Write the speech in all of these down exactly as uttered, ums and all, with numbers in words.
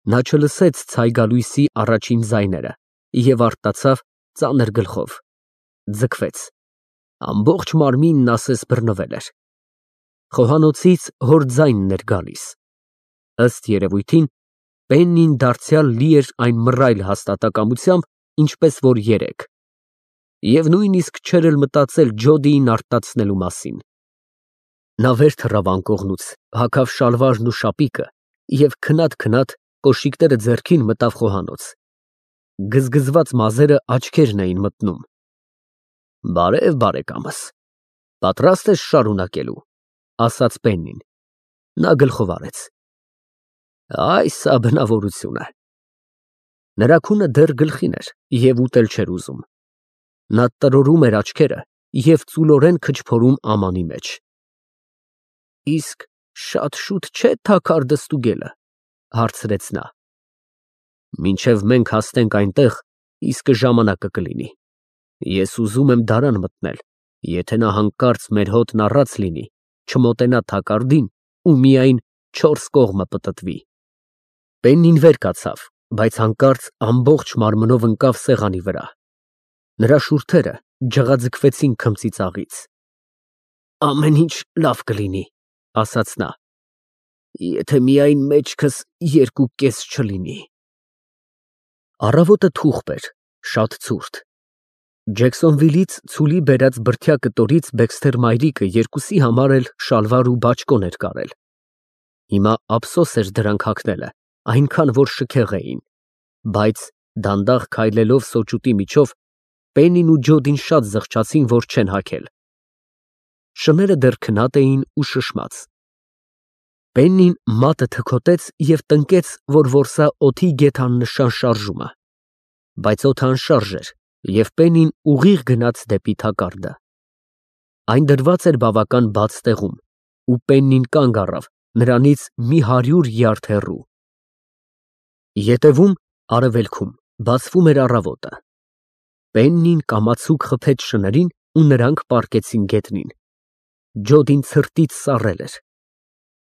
Նա չլսեց ցայգալույսի առաջին ձայները և արթնացավ ծանր գլխով, ձգվեց, ամբողջ մարմինն ասես բռնվել էր։ Խոհանոցից հոր ձայնն էր գալիս։ Ըստ երևույթին, Պեննին դարձյալ լի էր այն մռայլ հաստատակամությամբ, ինչպես որ երեկ, և նույնիսկ չէր էլ մտածել Ջոդիին արթնացնելու մասին։ Նա վեր թռավ անկողնուց, հագավ շալվարն ու շապիկը և քնած֊քնած կոշիկները ձեռքին մտավ խոհանոց։ Գզգզված մազերը աչքերն էին մտնում։ Բարև, բարեկամս, պատրաստ ես շարունակելու, ասաց Պեննին։ Նա գլխով արեց։ Այս ա բնավորությունը։ Նրա քունը դեռ գլխին էր և ուտել չէր ուզում։ Նա տրորում էր աչքերը և ծուլորեն քչփորում ամանի մեջ։ Իսկ շատ շուտ չէ՞ թագար դստուգելը, հարցրեց նա։ Մինչև մենք հասնենք այնտեղ, իսկը ժամանակը կլինի։ Ես ուզում եմ դարան մտնել, եթե նա հանկարծ մեր հոտն առած լինի, չմոտենա թակարդին ու միայն չորս կողմը պտտվի։ Պեննին վեր կացավ, բայց հանկարծ ամբողջ մարմնով ընկավ սեղանի վրա։ Նրա շուրթերը ջղաձգվեցին քմծիծաղից։ Ամեն ինչ լավ կլինի, ասաց նա, եթե միայն մեջքս երկու կես չլինի։ Առավոտը թուղթ էր, շատ ցուրտ։ Ջեքսոնվիլից ցուլի բերած բրդյա կտորից Բեքսթեր մայրիկը երկուսի համար էլ շալվար ու բաճկոն էր կարել։ Հիմա ափսոս էր դրանք հագնելը, այնքան որ շքեղ էին, բայց դանդաղ քայլելով սոճուտի միջով, Պեննին ու Ջոդին շատ զղջացին, որ չեն հագել։ Շները դեռ քնած էին ու շշմած։ Պեննին մատը թքոտեց և տնկեց, որ որսա օդի գեթ աննշան շարժումը, բայց օդը անշարժ էր, և Պեննին ուղիղ գնաց դեպի թակարդը։ Այն դրված էր բավական բաց տեղում, ու Պեննին կանգ առավ նրանից մի հարյուր յարդ հեռու։ Ետևում, արևելքում, բացվում էր առավոտը։ Պեննին կամացուկ խփեց շներին ու նրանք պառկեցին գետնին։ Ջոդին ցրտից սառել էր։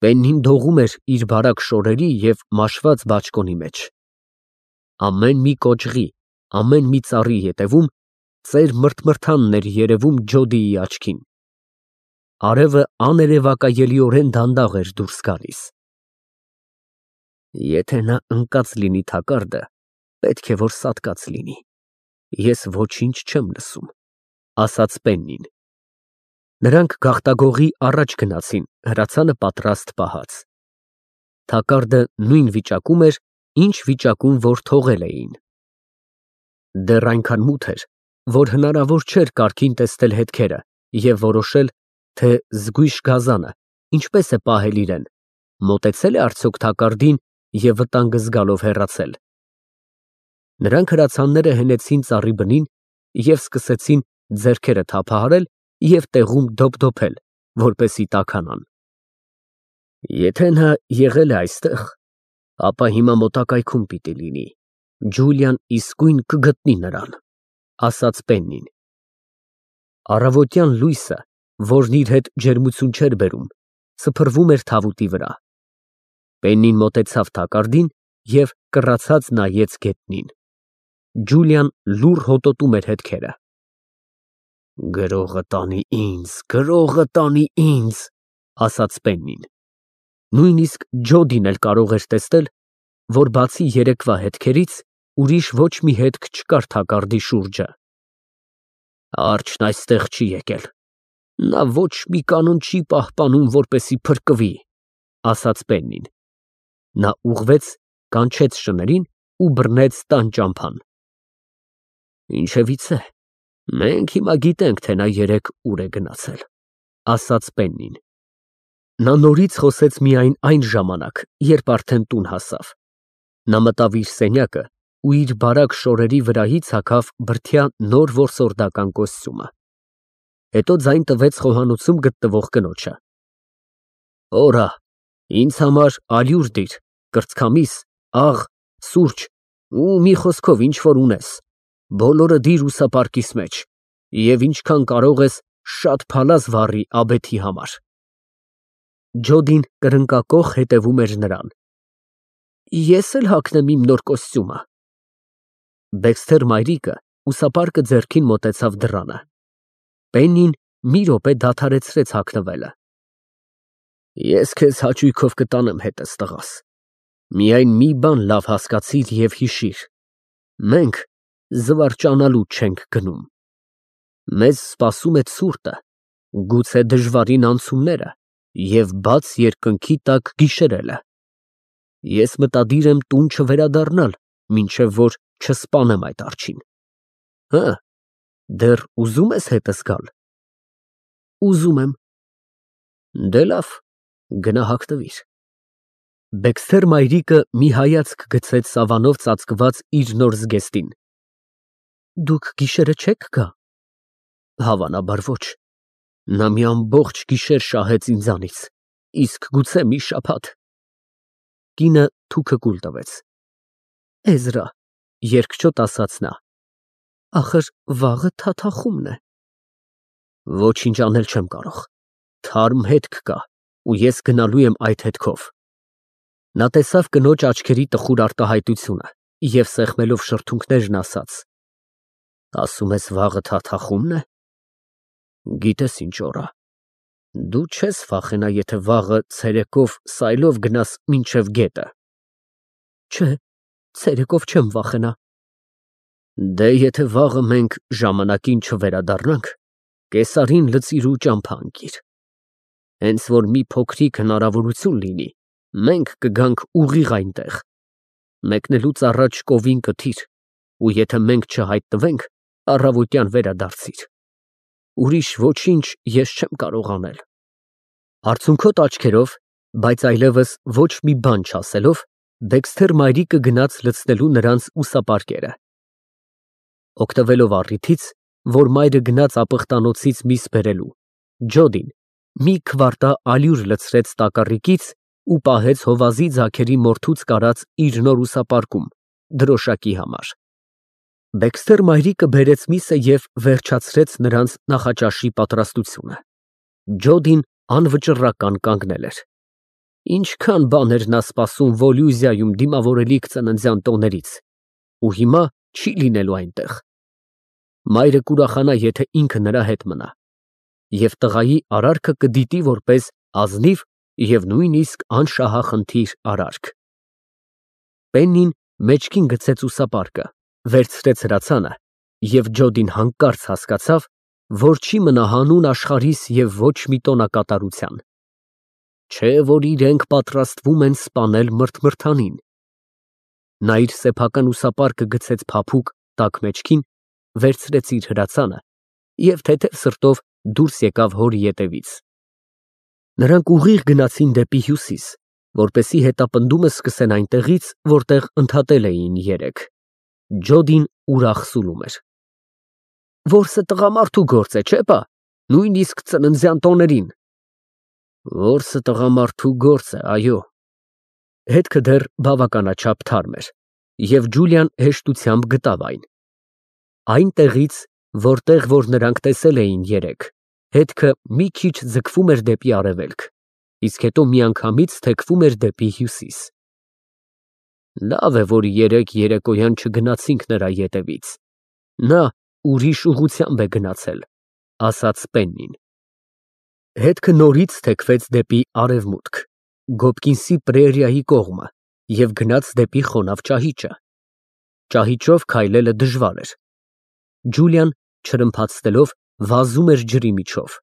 Պեննին դողում էր իր բարակ շորերի և մաշված բաճկոնի մեջ։ Ամեն մի կոճղի, ամեն մի ծառի ետևում ծեր մրթմրթանն էր երևում Ջոդիի աչքին։ Արևը աներևակայելիորեն դանդաղ էր դուրս գալիս։ Եթե նա ընկած լինի թակարդը, պետք է որ սատկած լինի, ես ոչինչ չեմ լսում, ասաց Պեննին։ Նրանք գաղտագողի առաջ գնացին, հրացանը պատրաստ պահած։ Թակարդը նույն վիճակում էր, ինչ վիճակում որ թողել էին։ Դեռ այնքան մութ էր, որ հնարավոր չէր կարգին տեսնել հետքերը և որոշել, թե զգույշ գազանը ինչպես է պահել իրեն, մոտեցել է արդյոք թակարդին և վտանգը զգալով հեռացել։ Նրանք հրացանները հենեցին ծառի բնին և սկսեցին ձեռքերը թափահարել և տեղում դոփդոփել, որպեսզի տաքանան։ Եթե նա եղել է այստեղ, ապա հիմա մոտակայքում պիտի լինի, Ջուլիան իսկույն կգտնի նրան, ասաց Պեննին։ Առավոտյան լույսը, որն իր հետ ջերմություն չէր բերում, սփռվում էր թավուտի վրա։ Պեննին մոտեցավ թակարդին և կռացած նայեց գետնին։ Ջուլիան լուռ հոտոտում էր հետքերը։ Գրողը տանի ինձ, գրողը տանի ինձ, ասաց Պեննին։ Նույնիսկ Ջոդին էլ կարող էր տեսնել, որ բացի երեկվա հետքերից ուրիշ ոչ մի հետք չկար թակարդի շուրջը։ Արջն այստեղ չի եկել, նա ոչ մի կանոն չի պահպանում, որպեսզի փրկվի, ասաց Պեննին։ Նա ուղղվեց, կանչեց շներին ու բռնեց տան ճամփան։ Ինչևիցե, մենք հիմա գիտենք, թե նա երեկ ուր է գնացել, ասաց Պեննին։ Նա նորից խոսեց միայն այն ժամանակ, երբ արդեն տուն հասավ։ Նա մտավ իր սենյակը ու իր բարակ շորերի վրայից հագավ բրդյա նոր որսորդական կոստյումը։ Հետո ձայն տվեց խոհանոցում գտնվող կնոջը։ Օրա, ինձ համար ալյուր դիր, կրծքամիս, աղ, սուրճ ու մի խոսքով ինչ որ ունես, բոլորը դիր ուսապարկիս մեջ և ինչքան կարող ես շատ փալաս վառի աբեթի համար։ Ջոդին կրնկակոխ հետևում էր նրան։ Ես էլ հագնեմ իմ նոր կոստյումը։ Դեքսթեր մայրիկը ուսապարկը ձեռքին մոտեցավ դռանը։ Պեննին մի րոպե դադարեցրեց հագնվելը։ Ես քեզ հաճույքով կտանեմ հետս, տղաս։ Միայն մի բան լավ հասկացիր և հիշիր. մենք զվարճանալու չենք գնում։ Մեզ սպասում է ցուրտը, գուցե դժվարին անցումները և բաց երկնքի տակ գիշերելը։ Ես մտադիր եմ տուն չվերադառնալ, մինչև որ չսպանեմ այդ արջին։ Հը, դեռ ուզում ես հետս գալ։ Ուզում եմ։ Դե լավ, գնա հագնվիր։ Դեքսթեր մայրիկը մի հայացք գցեց սավանով ծածկված իր նոր զգեստին։ Դուք գիշերը չե՞ք գա։ Հավանաբար ոչ։ Նա մի ամբողջ գիշեր շահեց ինձանից, իսկ գուցե մի շաբաթ։ Կինը թուքը կուլ տվեց։ Էզրա, երկչոտ ասաց նա, ախր վաղը թաթախումն է։ Ոչինչ անել չեմ կարող։ Թարմ հետք կա, ու ես գնալու եմ այդ հետքով։ Նա տեսավ կնոջ աչքերի տխուր արտահայտությունը և սեղմելով շրթունքներն ասաց. Ասում ես վաղը թաթախումն է։ Գիտես ինչ օր ա։ Դու չես վախենա, եթե վաղը ցերեկով սայլով գնաս մինչև գետը։ Չէ, ցերեկով չեմ վախենա։ Դե եթե վաղը մենք ժամանակին չվերադառնանք, կեսարին լցիր ու ճամփա ընկիր։ Հենց որ մի փոքրիկ հնարավորություն լինի, մենք կգանք ուղիղ այնտեղ։ Մեկնելուց առաջ կովին կթիր, ու եթե մենք չհայտնվենք, առավոտյան վերադարձիր։ Ուրիշ ոչինչ ես չեմ կարող անել։ Արցունքոտ աչքերով, բայց այլևս ոչ մի բան չասելով, Դեքսթեր մայրիկը գնաց լցնելու նրանց ուսապարկերը։ Օգտվելով առիթից, որ մայրը գնաց ապխտանոցից միս բերելու, Ջոդին մի քվարտա ալյուր լցրեց տակառիկից ու պահեց հովազի ձագերի մորթուց կարած իր նոր ուսապարկում, դրոշակի համար։ Դեքսթեր մայրիկը բերեց միսը և վերջացրեց նրանց նախաճաշի պատրաստությունը։ Ջոդին անվճռական կանգնել էր։ Ինչքան բան էր նա սպասում Վոլյուզիայում դիմավորելիք ծննդյան տոներից, ու հիմա չի լինելու այնտեղ։ Մայրը կուրախանա, եթե ինքը նրա հետ մնա, և տղայի արարքը կդիտի որպես ազնիվ և նույնիսկ անշահախնդիր արարք։ Պեննին մեջքին գցեց ուսապարկը, վերցրեց հրացանը, և Ջոդին հանկարծ հասկացավ, որ չի մնա հանուն աշխարհիս և ոչ մի տոնակատարության։ Չէ որ իրենք պատրաստվում են սպանել մրթմրթանին։ Նա իր սեփական ուսապարկը գցեց փափուկ տաք մեջքին, վերցրեց իր հրացանը և թեթև սրտով դուրս եկավ հորի ետևից։ Նրանք ուղիղ գնացին դեպի հյուսիս, որպեսզի հետապնդումը սկսեն այնտեղից, որտեղ ընդհատել էին երեկ։ Ջոդին ուրախ սուլում էր։ Որսը տղամարդու գործ է, չէ՞ բա, նույնիսկ ծննդյան տոներին։ Որսը տղամարդու գործ է, այո։ Հետքը դեռ բավականաչափ թարմ էր, և Ջուլիան հեշտությամբ գտավ այն։ Այնտեղից, որտեղ որ նրանք տեսել էին երեկ, հետքը մի քիչ ձգվում էր դեպի արևելք, իսկ հետո միանգամից թեքվում էր դեպի հյուսիս։ Լավ է, որ երեկ երեկոյան չգնացինք նրա ետևից։ Նա ուրիշ ուղղությամբ է գնացել, ասաց Պեննին։ Հետքը նորից թեքվեց դեպի արևմուտք, Գոբկինսի պրերիայի կողմը և գնաց դեպի խոնավ ճահիճը։ Ճահիճով քայլելը դժվար էր։ Ջուլիան, չրմփացնելով, վազում էր ջրի միջով։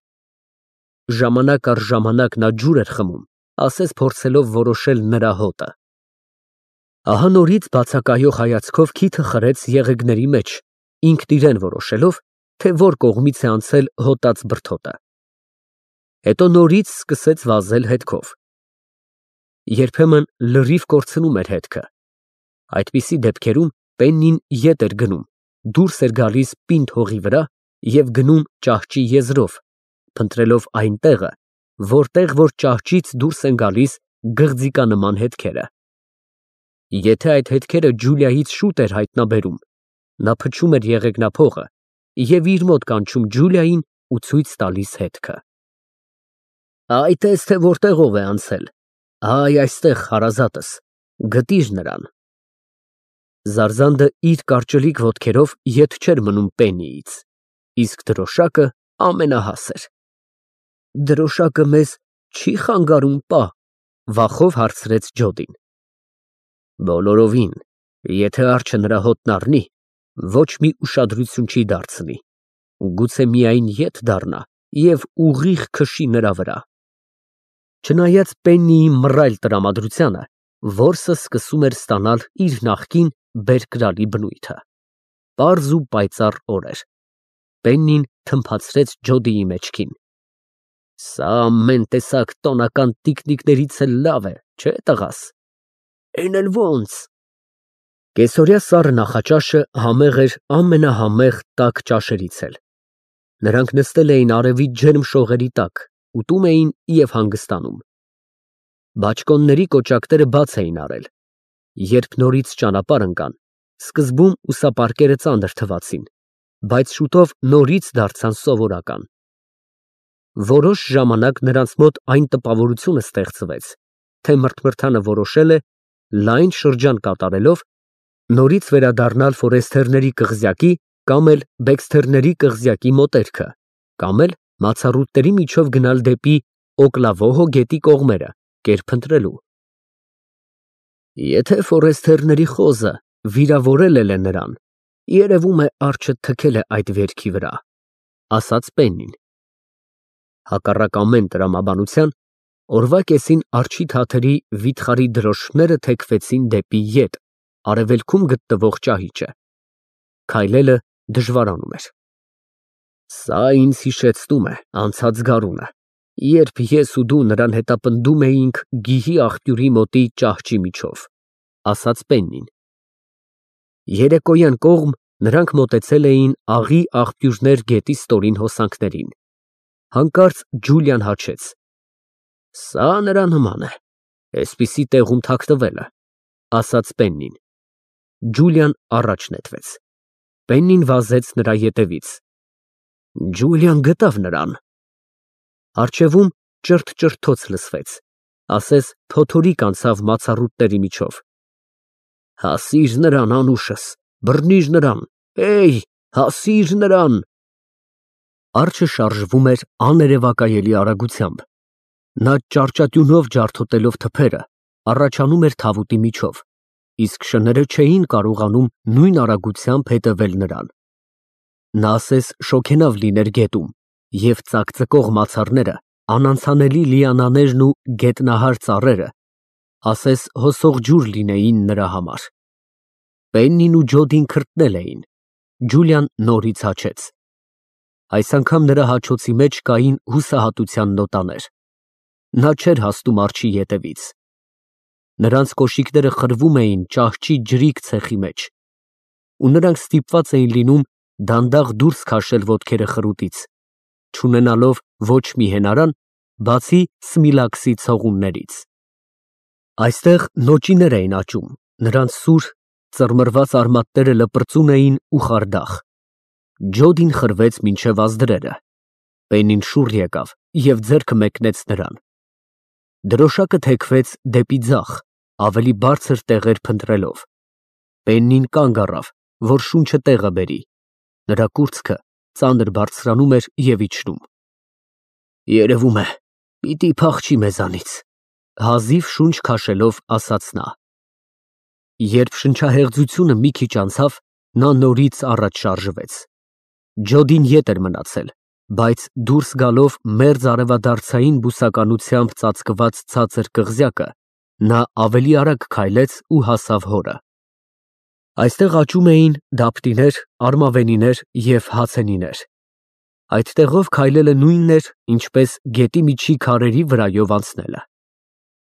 Ժամանակ առ ժամանակ նա ջուր էր խմում, ասես փորձելով որոշել նրա հոտը։ Ահա նորից բացակայող հայացքով քիթը խրեց եղեգների մեջ, ինքն իրեն որոշելով, թե որ կողմից է անցել հոտած բրդոտը։ Հետո նորից սկսեց վազել հետքով։ Երբեմն լրիվ կորցնում էր հետքը։ Այդպիսի դեպքերում Պեննին ետ էր գնում, դուրս էր գալիս պինդ հողի վրա և գնում ճահճի եզրով, փնտրելով այն տեղը, որտեղ որ ճահճից դուրս են գալիս գղձիկանման հետքերը։ Եթե այդ հետքերը Ջուլիայից շուտ էր հայտնաբերում, նա փչում էր եղեգնափողը և իր մոտ կանչում Ջուլիային ու ցույց տալիս հետքը։ Այ տես, թե որտեղով է անցել, այ այստեղ հարազատս, Գտիր նրան։ Զարզանդը իր կարճլիկ ոտքերով ետ չէր մնում Պեննիից, իսկ դրոշակը ամենահասր։ Դրոշակը մեզ չի խանգարում, պա, վախով հարցրեց Ջոդին։ Բոլորովին, եթե արջը նրա հոտն առնի, ոչ մի ուշադրություն չի դարձնի, գուցե միայն ետ դառնա և ուղիղ քշի նրա վրա։ Չնայած Պեննիի մռայլ տրամադրությանը, որսը սկսում էր ստանալ իր նախկին բերկրալի բնույթը։ Պարզ ու պայծառ օր էր։ Պեննին թմփացրեց Ջոդիի մեջքին։ Սա ամեն տեսակ տոնական տիկնիկներից էլ լավ է, չէ՞ տղաս։ Էն էլ ոնց։ Կեսօրյա սառը նախաճաշը համեղ էր ամենահամեղ տաք ճաշերից էլ։ Նրանք նստել էին արևի ջերմ շողերի տակ, ուտում էին և հանգստանում։ Բաճկոնների կոճակները բաց էին արել։ Երբ նորից ճանապարհ ընկան, սկզբում ուսապարկերը ծանր թվացին, բայց շուտով նորից դարձան սովորական։ Որոշ ժամանակ նրանց մոտ այն տպավորությունը ստեղծվեց, թե մրթմրթանը որոշել է, լայն շրջան կատարելով, նորից վերադառնալ Ֆորեսթերների կղզյակի կամ էլ Բեքսթերների կղզյակի մոտերքը, կամ էլ մացառուտների միջով գնալ դեպի Օկլավոհո գետի կողմերը, կերպ ընտրելու։ Եթե Ֆորեսթերների խոզը վիրավորել էլ է նրան, երևում է արջը թքել է այդ վերքի վրա, ասաց Պեննին։ Հակառակ ամեն տրամաբանության, օրվա կեսին արջի թաթերի վիթխարի դրոշները թեքվեցին դեպի ետ, արևելքում գտնվող ճահիճը։ Քայլելը դժվարանում էր։ Սա ինձ հիշեցնում է անցած գարունը, երբ ես ու դու նրան հետապնդում էինք գիհի աղբյուրի մոտի ճահճի միջով, ասաց Պեննին։ Երեկոյան կողմ նրանք մոտեցել էին աղի աղբյուրներ գետի ստորին հոսանքներին։ Հանկարծ Ջուլիան հաչեց. Սա նրա նման է, էսպիսի տեղում թաքնվելը, ասաց Պեննին։ Ջուլիան առաջ նետվեց։ Պեննին վազեց նրա ետևից։ Ջուլիան գտավ նրան։ Առջևում ճրթ-ճրթոց լսվեց, ասես փոթորիկ անցավ մացառուտների միջով։ Հասիր նրան, անուշս, բռնիր նրան, էյ, հասիր նրան։ Արջը շարժվում էր աներևակայելի արագությամբ։ Նա ճարճատյունով ջարդոտելով թփերը, առաջանում էր թավուտի միջով, իսկ շները չէին կարողանում նույն արագությամբ հետևել նրան։ Նա ասես շոգենավ լիներ գետում, և ծակծկող մացառները, անանցանելի լիանաներն ու գետնահար ծառերը, ասես հոսող ջուր լինեին նրա համար։ Պեննին ու Ջոդին քրտնել էին, Ջուլիան նորից հաչեց։ Այս անգամ նրա հաչոցի մեջ կային հուսահատության նոտաներ։ Նա չէր հասնում արջի ետևից։ Նրանց կոշիկները խրվում էին ճահճի ջրիկ ցեխի մեջ, ու նրանք ստիպված էին լինում դանդաղ դուրս քաշել ոտքերը խրուտից, չունենալով ոչ մի հենարան, բացի Սմիլաքսի ցողուններից։ Այստեղ նոճիներ էին աճում, նրանց սուր, ծռմռված արմատները լպրծուն էին ու խարդախ։ Ջոդին խրվեց մինչև ազդրերը։ Պեննին շուռ եկավ և ձեռքը մեկնեց նրան։ Դրոշակը թեքվեց դեպի ձախ, ավելի բարձր տեղեր փնտրելով։ Պեննին կանգ առավ, որ շունչը տեղը բերի։ Նրա կուրծքը ծանր բարձրանում էր և իջնում։ Երևում է, պիտի փախչի մեզանից, հազիվ շունչ քաշելով ասաց նա։ Երբ շնչահեղձությունը մի քիչ անցավ, նա նորից առաջ շարժվեց։ Ջոդին ետ էր մնացել, բայց դուրս գալով մերձ արևադարձային բուսականությամբ ծածկված ցածր կղզյակը, նա ավելի արագ քայլեց ու հասավ հորը։ Այստեղ աճում էին դապտիներ, արմավենիներ և հացենիներ։ Այդ տեղով քայլելը նույնն էր, ինչպես գետի միջի քարերի վրայով անցնելը։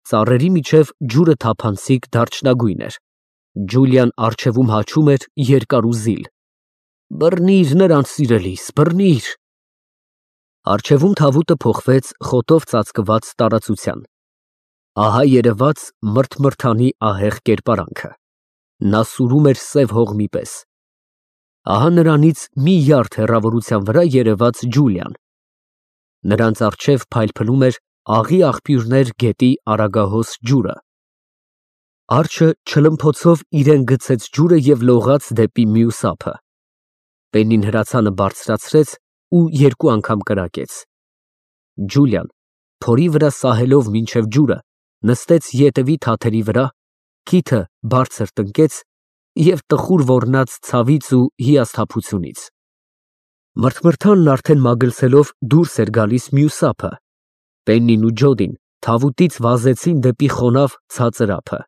Ծառերի միջև ջուրը թափանցիկ դարչնագույն էր։ Ջուլիան առջևում հաչում էր երկար ու զիլ. Բռնիր նրան, սիրելիս, բռնիր։ Առջևում թավուտը փոխվեց խոտով ծածկված տարածության։ Ահա երևաց մրթմրթանի ահեղ կերպարանքը։ Նա սուրում էր սև հողմի պես։ Ահա նրանից մի յարդ հեռավորության վրա երևաց Ջուլիան։ Նրանց առջև փայլփլում էր աղի աղբյուրներ գետի արագահոս ջուրը։ Արջը չլմփոցով իրեն գցեց ջուրը և լողաց դեպի մյուս ափը։ Պեննին հրացանը բարձրացրեց ու երկու անգամ կրակեց։ Ջուլիան, փորի վրա սահելով մինչև ջուրը, նստեց ետևի թաթերի վրա, քիթը բարձր տնկեց և տխուր ոռնաց ցավից ու հիասթափությունից։ Մրթմրթանն արդեն մագլցելով դուրս էր գալիս մյուս ափը։ Պեննին ու Ջոդին թավուտից վազեցին դեպի խոնավ ցածր ափը։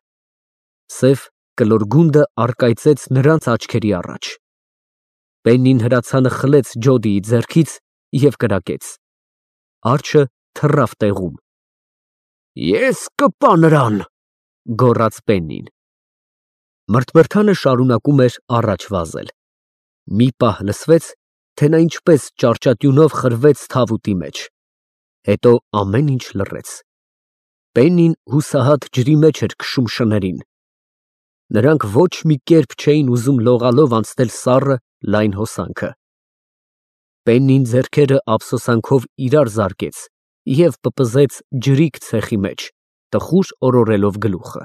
Սև կլոր գունդը առկայծեց նրանց աչքերի առաջ։ Պեննին հրացանը խլեց Ջոդիի ձեռքից և կրակեց։ Արջը թռավ տեղում։ Ես կպա նրան, գոռաց Պեննին։ Մրթմրթանը շարունակում էր առաջ վազել։ Մի պահ լսվեց, թե նա ինչպես ճարճատյունով խրվեց թավուտի մեջ։ Հետո ամեն ինչ լռեց։ Պեննին հուսահատ ջրի մեջ էր քշում շներին։ Նրանք ոչ մի կերպ չէին ուզում լողալով անցնել սառը, լայն հոսանքը։ Պեննին ձեռքերը ափսոսանքով իրար զարկեց և պպզեց ջրիկ ցեխի մեջ, տխուր օրորելով գլուխը։